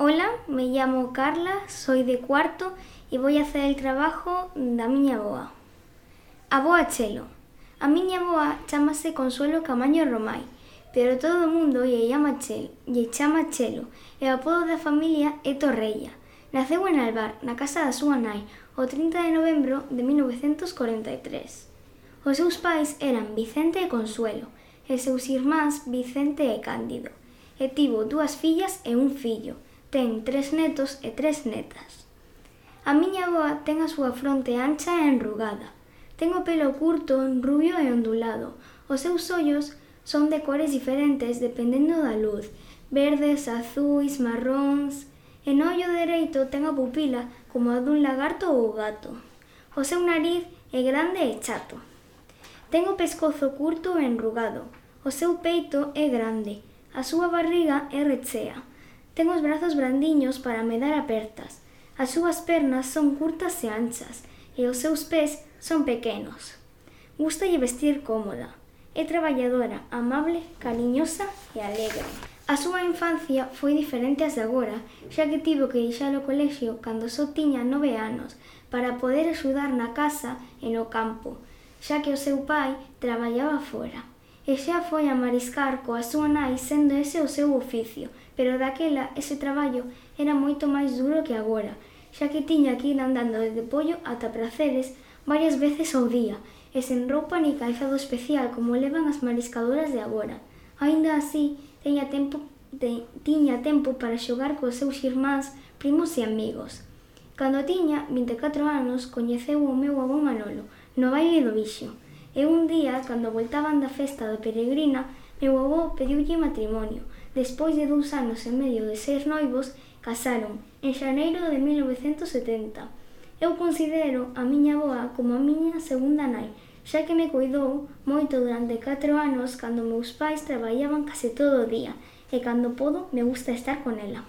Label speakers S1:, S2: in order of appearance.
S1: Hola, me llamo Carla, soy de cuarto e voy a hacer el trabajo da miña avoa. Avoa Chelo. A miña avoa chámase Consuelo Camaño Romai, pero todo o mundo lle chama Chelo e o apodo da familia é Torreia. Naceu en Albar, na casa da súa nai, o 30 de novembro de 1943. Os seus pais eran Vicente e Consuelo, e seus irmáns Vicente e Cándido, e tivo 2 fillas e un fillo. Ten 3 netos e 3 netas. A miña avoa ten a súa fronte ancha e enrugada. Ten o pelo curto, rubio e ondulado. Os seus ollos son de cores diferentes dependendo da luz, verdes, azuis, marróns. E no ollo dereito ten a pupila como a dun lagarto ou gato. O seu nariz é grande e chato. Ten o pescozo curto e enrugado. O seu peito é grande. A súa barriga é rechea. Ten os brazos brandiños para me dar apertas. As súas pernas son curtas e anchas e os seus pés son pequenos. Gústalle vestir cómoda. É traballadora, amable, cariñosa e alegre. A súa infancia foi diferente ás de agora, xa que tivo que deixar o colexio cando só tiña 9 anos para poder axudar na casa e no campo, xa que o seu pai traballaba fora. E xa foi a mariscar coa súa nai sendo ese o seu oficio, pero daquela ese traballo era moito máis duro que agora, xa que tiña que ir andando desde Pollo ata Praceres varias veces ao día, e sen roupa ni calzado especial como levan as mariscadoras de agora. Aínda así, tiña tempo para xogar cos seus irmáns, primos e amigos. Cando tiña 24 anos, coñeceu o meu avó Manolo, no baile do Vixo. E un día, cando voltaban da festa da Peregrina, meu avó pediulle matrimonio. Despois de 2 anos e medio de ser noivos, casaron, en xaneiro de 1970. Eu considero a miña avoa como a miña segunda nai, xa que me cuidou moito durante 4 anos cando meus pais traballaban case todo o día, e cando podo me gusta estar con ela.